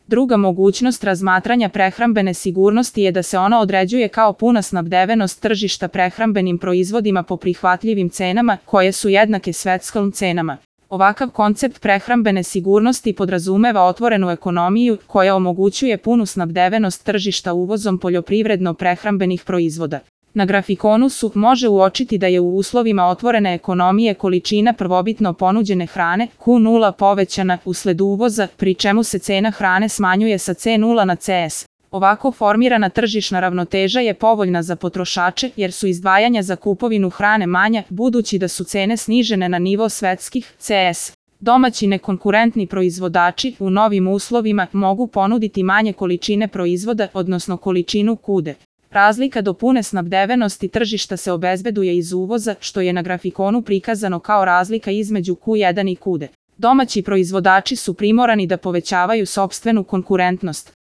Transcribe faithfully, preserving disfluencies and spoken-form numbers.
Druga mogućnost razmatranja prehrambene sigurnosti je da se ona određuje kao puna snabdevenost tržišta prehrambenim proizvodima po prihvatljivim cenama, koje su jednake svetskim cenama. Ovakav koncept prehrambene sigurnosti podrazumeva otvorenu ekonomiju koja omogućuje punu snabdevenost tržišta uvozom poljoprivredno-prehrambenih proizvoda. Na grafikonu su može uočiti da je u uslovima otvorene ekonomije količina prvobitno ponuđene hrane Q nula povećana usled uvoza, pri čemu se cena hrane smanjuje sa C nula na C S. Ovako formirana tržišna ravnoteža je povoljna za potrošače jer su izdvajanja za kupovinu hrane manja, budući da su cene snižene na nivo svetskih C S. Domaći nekonkurentni proizvođači u novim uslovima mogu ponuditi manje količine proizvoda, odnosno količinu kude. Razlika do pune snabdevenosti tržišta se obezbeduje iz uvoza, što je na grafikonu prikazano kao razlika između Q jedan i Q dva. Domaći proizvođači su primorani da povećavaju sopstvenu konkurentnost.